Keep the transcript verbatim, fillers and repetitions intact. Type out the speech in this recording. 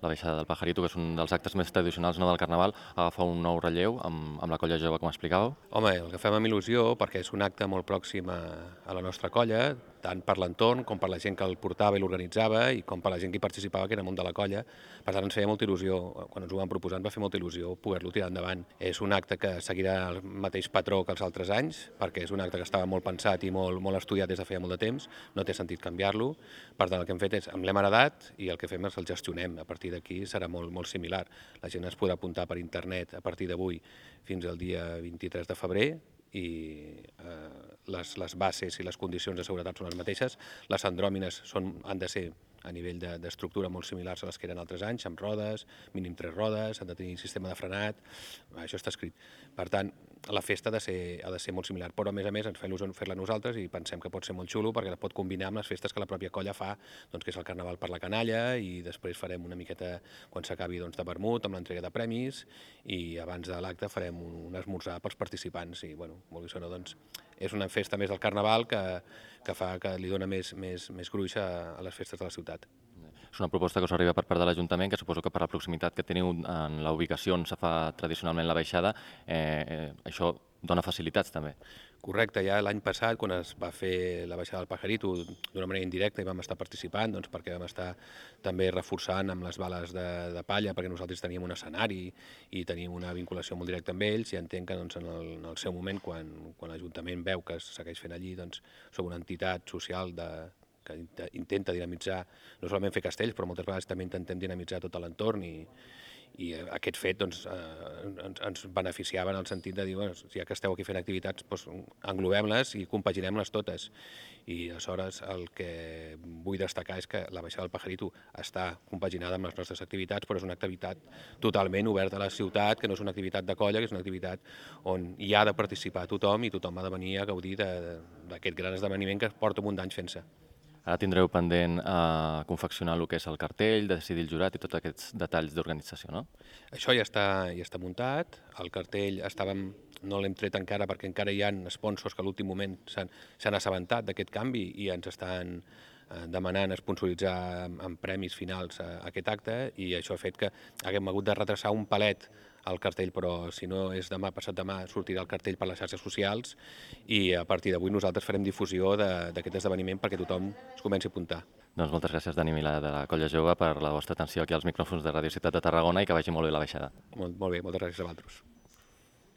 La baixada del Pajarito, que és un dels actes més tradicionals, no, del Carnaval, agafa un nou relleu amb, amb la colla jove, com explicàveu. Home, el que fem amb il·lusió, perquè és un acte molt pròxim a, a la nostra colla, tant per l'entorn com per la gent que el portava i l'organitzava i com per la gent que hi participava, que era món de la colla. Per tant, ens feia molta il·lusió, quan ens ho van proposar, ens va fer molta il·lusió poder-lo tirar endavant. És un acte que seguirà el mateix patró que els altres anys, perquè és un acte que estava molt pensat i molt, molt estudiat des de feia molt de temps, no té sentit canviar-lo. Per tant, el que hem fet és, amb l'hem heredat i el que fem és el gestionem. A partir d'aquí serà molt, molt similar. La gent es podrà apuntar per internet a partir d'avui fins al dia vint-i-tres de febrer i eh, les, les bases i les condicions de seguretat són les mateixes. Les andròmines són, han de ser a nivell d'estructura de, molt similars a les que eren altres anys, amb rodes, mínim tres rodes, han de tenir sistema de frenat, això està escrit. Per tant, la festa ha de ser, ha de ser molt similar, però a més a més ens fa il·lusió fer-la nosaltres i pensem que pot ser molt xulo perquè la pot combinar amb les festes que la pròpia colla fa, doncs, que és el Carnaval per la canalla, i després farem una miqueta, quan s'acabi, doncs, de vermut, amb l'entrega de premis, i abans de l'acte farem un, un esmorzar pels participants, i bueno, molt bé, no, doncs, és una festa més del Carnaval que, que fa que li dona més, més, més gruix a, a les festes de la ciutat. És una proposta que us arriba per part de l'Ajuntament, que suposo que per la proximitat que teniu en la ubicació on se fa tradicionalment la baixada, eh, eh, això dona facilitats també. Correcte, ja l'any passat, quan es va fer la baixada del Pajarito d'una manera indirecta i vam estar participant, doncs perquè vam estar també reforçant amb les bales de, de palla, perquè nosaltres teníem un escenari i teníem una vinculació molt directa amb ells, i entenc que doncs, en, el, en el seu moment, quan, quan l'Ajuntament veu que es segueix fent allí, doncs som una entitat social de, que intenta dinamitzar, no solament fer castells, però moltes vegades també intentem dinamitzar tot l'entorn, i, i aquest fet doncs, eh, ens, ens beneficiava en el sentit de dir, bueno, ja que esteu aquí fent activitats, doncs, englobem-les i compaginem-les totes. I aleshores el que vull destacar és que la baixada del Pajarito està compaginada amb les nostres activitats, però és una activitat totalment oberta a la ciutat, que no és una activitat de colla, que és una activitat on hi ha de participar tothom i tothom ha de venir a gaudir d'aquest gran esdeveniment que porta un munt d'anys fent-se. Ara tindreu pendent a confeccionar el que és el cartell, de decidir el jurat i tots aquests detalls d'organització, no? Això ja està, ja està muntat, el cartell estàvem, no l'hem tret encara perquè encara hi ha sponsors que a l'últim moment s'han assabentat d'aquest canvi i ens estan demanant sponsoritzar amb premis finals a aquest acte, i això ha fet que haguem hagut de retrasar un palet el cartell, però si no és demà, passat demà, sortirà el cartell per les xarxes socials, i a partir d'avui nosaltres farem difusió d'aquest esdeveniment perquè tothom es comenci a apuntar. Doncs moltes gràcies, Dani Milà, de la Colla Jove, per la vostra atenció aquí als micròfons de Radio Ciutat de Tarragona, i que vagi molt bé la baixada. Molt, molt bé, moltes gràcies a vosaltres.